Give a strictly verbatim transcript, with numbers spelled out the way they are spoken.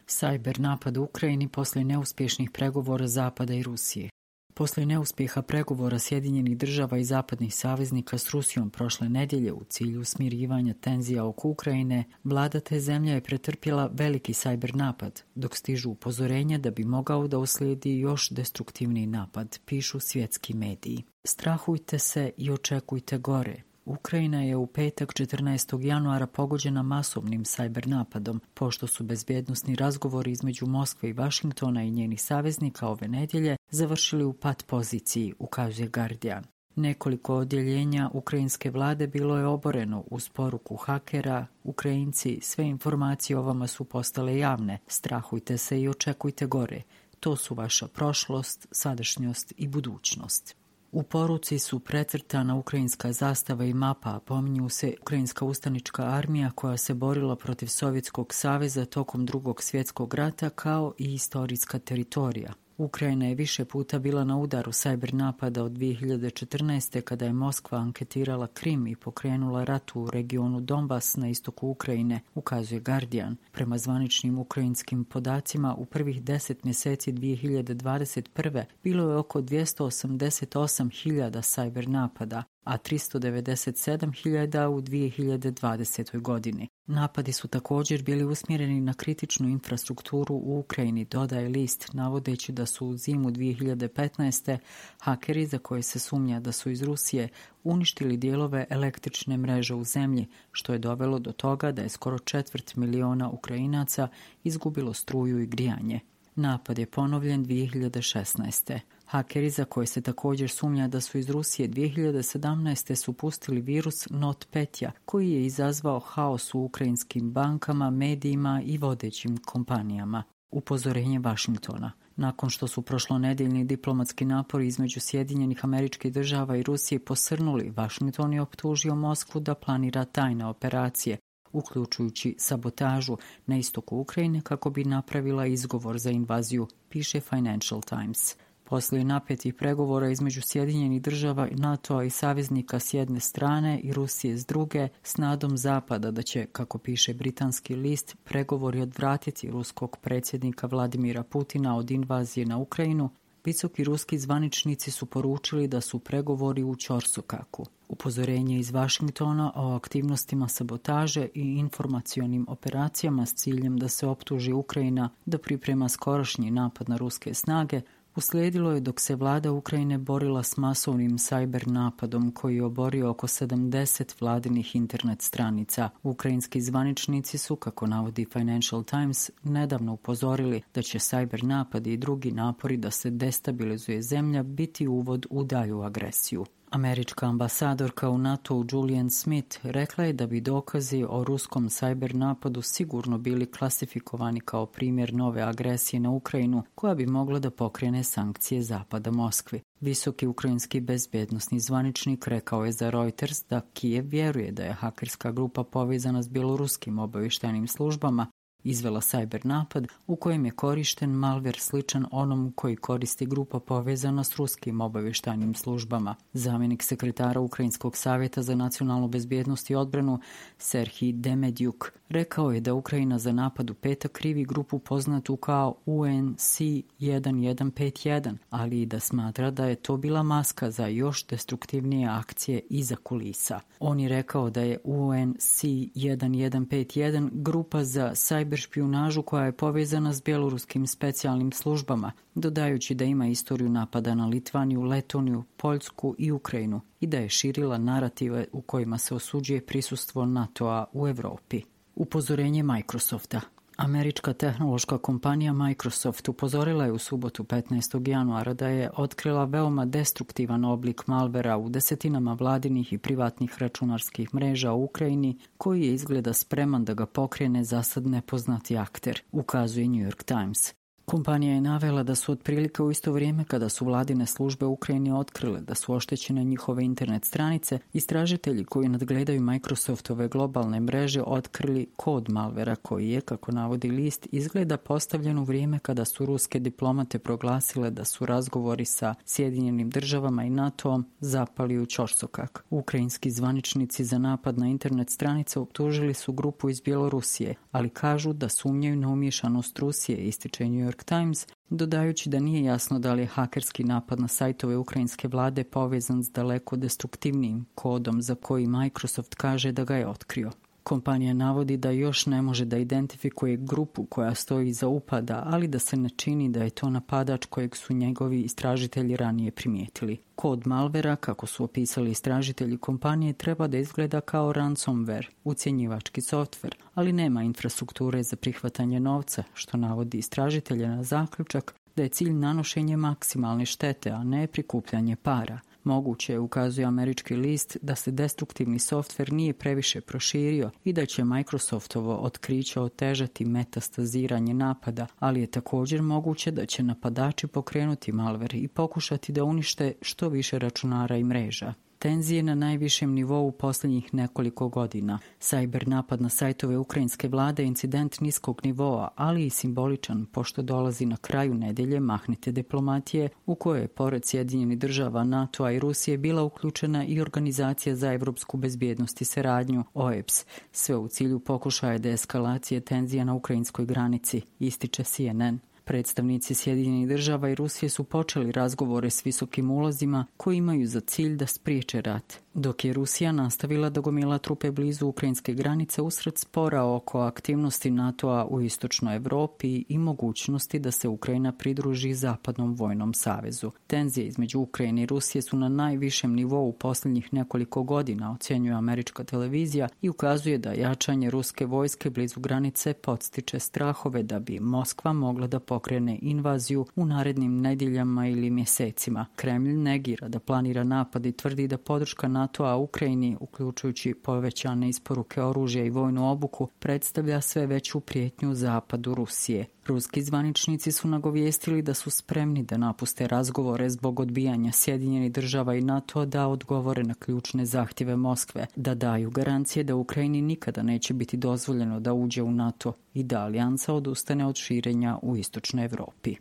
Sajber napad u Ukrajini poslije neuspješnih pregovora Zapada i Rusije. Poslije neuspjeha pregovora Sjedinjenih država i zapadnih saveznika s Rusijom prošle nedjelje u cilju smirivanja tenzija oko Ukrajine, vlada te zemlje je pretrpjela veliki sajber napad, dok stižu upozorenja da bi mogao da uslijedi još destruktivniji napad, pišu svjetski mediji. Strahujte se i očekujte gore. Ukrajina je u petak četrnaestog januara pogođena masovnim sajber napadom, pošto su bezbjednosni razgovori između Moskve i Vašingtona i njenih saveznika ove nedjelje završili u pat poziciji, ukazuje Guardian. Nekoliko odjeljenja ukrajinske vlade bilo je oboreno uz poruku hakera. Ukrajinci, sve informacije o vama su postale javne. Strahujte se i očekujte gore. To su vaša prošlost, sadašnjost i budućnost. U poruci su precrtana ukrajinska zastava i mapa, a pominju se ukrajinska ustanička armija koja se borila protiv Sovjetskog saveza tokom Drugog svjetskog rata kao i istorijska teritorija. Ukrajina je više puta bila na udaru sajber napada od dvije hiljade četrnaeste. kada je Moskva anketirala Krim i pokrenula rat u regionu Donbas na istoku Ukrajine, ukazuje Guardian. Prema zvaničnim ukrajinskim podacima, u prvih deset mjeseci dvije hiljade dvadeset prve. bilo je oko dvjesto osamdeset osam hiljada sajber napada, a tristo devedeset sedam hiljada u dvije hiljade dvadesetoj. godini. Napadi su također bili usmjereni na kritičnu infrastrukturu u Ukrajini, dodaje list, navodeći da su u zimu dvije hiljade petnaeste. hakeri, za koje se sumnja da su iz Rusije, uništili dijelove električne mreže u zemlji, što je dovelo do toga da je skoro četvrt miliona Ukrajinaca izgubilo struju i grijanje. Napad je ponovljen dvije hiljade šesnaeste. Hakeri, za koje se također sumnja da su iz Rusije, dvije hiljade sedamnaeste. su pustili virus NotPetya, koji je izazvao haos u ukrajinskim bankama, medijima i vodećim kompanijama. Upozorenje Vašingtona. Nakon što su prošlonedjeljni diplomatski napori između Sjedinjenih Američkih Država i Rusije posrnuli, Vašington je optužio Moskvu da planira tajne operacije, uključujući sabotažu na istoku Ukrajine kako bi napravila izgovor za invaziju, piše Financial Times. Poslije napetih pregovora između Sjedinjenih Država, NATO-a i saveznika s jedne strane i Rusije s druge, s nadom Zapada da će, kako piše britanski list, pregovori odvratiti ruskog predsjednika Vladimira Putina od invazije na Ukrajinu, visoki ruski zvaničnici su poručili da su pregovori u ćorsokaku. Upozorenje iz Vašingtona o aktivnostima sabotaže i informacionim operacijama s ciljem da se optuži Ukrajina da priprema skorašnji napad na ruske snage uslijedilo je dok se vlada Ukrajine borila s masovnim sajber napadom koji je oborio oko sedamdeset vladinih internet stranica. Ukrajinski zvaničnici su, kako navodi Financial Times, nedavno upozorili da će sajber napadi i drugi napori da se destabilizuje zemlja biti uvod u dalju agresiju. Američka ambasadorka u NATO-u Julian Smith rekla je da bi dokazi o ruskom sajber napadu sigurno bili klasifikovani kao primjer nove agresije na Ukrajinu koja bi mogla da pokrene sankcije Zapada Moskvi. Visoki ukrajinski bezbjednosni zvaničnik rekao je za Reuters da Kijev vjeruje da je hakerska grupa povezana s bjeloruskim obavještajnim službama izvela sajber napad u kojem je korišten malver sličan onom koji koristi grupa povezana s ruskim obavještajnim službama. Zamjenik sekretara Ukrajinskog savjeta za nacionalnu bezbjednost i odbranu Serhij Demedjuk rekao je da Ukrajina za napad u petak krivi grupu poznatu kao U N C jedan jedan pet jedan, ali i da smatra da je to bila maska za još destruktivnije akcije iza kulisa. On je rekao da je U N C jedan jedan pet jedan grupa za sajber špijunažu koja je povezana s bjeloruskim specijalnim službama, dodajući da ima istoriju napada na Litvaniju, Letoniju, Poljsku i Ukrajinu i da je širila narative u kojima se osuđuje prisustvo NATO-a u Europi. Upozorenje Microsofta. Američka tehnološka kompanija Microsoft upozorila je u subotu petnaestog januara da je otkrila veoma destruktivan oblik malvera u desetinama vladinih i privatnih računarskih mreža u Ukrajini koji je izgleda spreman da ga pokrene zasad nepoznati akter, ukazuje New York Times. Kompanija je navela da su otprilike u isto vrijeme kada su vladine službe u Ukrajini otkrile da su oštećene njihove internet stranice, istražitelji koji nadgledaju Microsoftove globalne mreže otkrili kod malvera koji je, kako navodi list, izgleda postavljen u vrijeme kada su ruske diplomate proglasile da su razgovori sa Sjedinjenim državama i NATO-om zapali u ćorsokak. Ukrajinski zvaničnici za napad na internet stranice optužili su grupu iz Bjelorusije, ali kažu da sumnjaju na umiješanost Rusije, ističe New York Times, dodajući da nije jasno da li je hakerski napad na sajtove ukrajinske vlade povezan s daleko destruktivnijim kodom za koji Microsoft kaže da ga je otkrio. Kompanija navodi da još ne može da identifikuje grupu koja stoji iza upada, ali da se ne čini da je to napadač kojeg su njegovi istražitelji ranije primijetili. Kod malvera, kako su opisali istražitelji kompanije, treba da izgleda kao ransomware, ucjenjivački softver, ali nema infrastrukture za prihvatanje novca, što navodi istražitelje na zaključak da je cilj nanošenje maksimalne štete, a ne prikupljanje para. Moguće je, ukazuje američki list, da se destruktivni softver nije previše proširio i da će Microsoftovo otkriće otežati metastaziranje napada, ali je također moguće da će napadači pokrenuti malver i pokušati da unište što više računara i mreža. Tenzije na najvišem nivou u posljednjih nekoliko godina. Sajber napad na sajtove ukrajinske vlade je incident niskog nivoa, ali i simboličan, pošto dolazi na kraju nedelje mahnite diplomatije u kojoj je pored Sjedinjenih država, NATO-a i Rusije bila uključena i Organizacija za evropsku bezbjednost i saradnju, O E B S, sve u cilju pokušaja deeskalacije tenzija na ukrajinskoj granici, ističe C N N. Predstavnici Sjedinjenih država i Rusije su počeli razgovore s visokim ulozima koji imaju za cilj da spriječe rat, dok je Rusija nastavila da gomila trupe blizu ukrajinske granice usred spora oko aktivnosti NATO-a u istočnoj Evropi i mogućnosti da se Ukrajina pridruži Zapadnom vojnom savezu. Tenzije između Ukrajine i Rusije su na najvišem nivou u posljednjih nekoliko godina, ocjenjuje američka televizija i ukazuje da jačanje ruske vojske blizu granice podstiče strahove da bi Moskva mogla da pokrene invaziju u narednim nedjeljama ili mjesecima. Kremlj negira da planira napad i tvrdi da podrška NATO-a Ukrajini, uključujući povećane isporuke oružja i vojnu obuku, predstavlja sve veću prijetnju zapadu Rusije. Ruski zvaničnici su nagovijestili da su spremni da napuste razgovore zbog odbijanja Sjedinjenih država i NATO da odgovore na ključne zahtjeve Moskve, da daju garancije da Ukrajini nikada neće biti dozvoljeno da uđe u NATO i da alijansa odustane od širenja u istočnoj Evropi.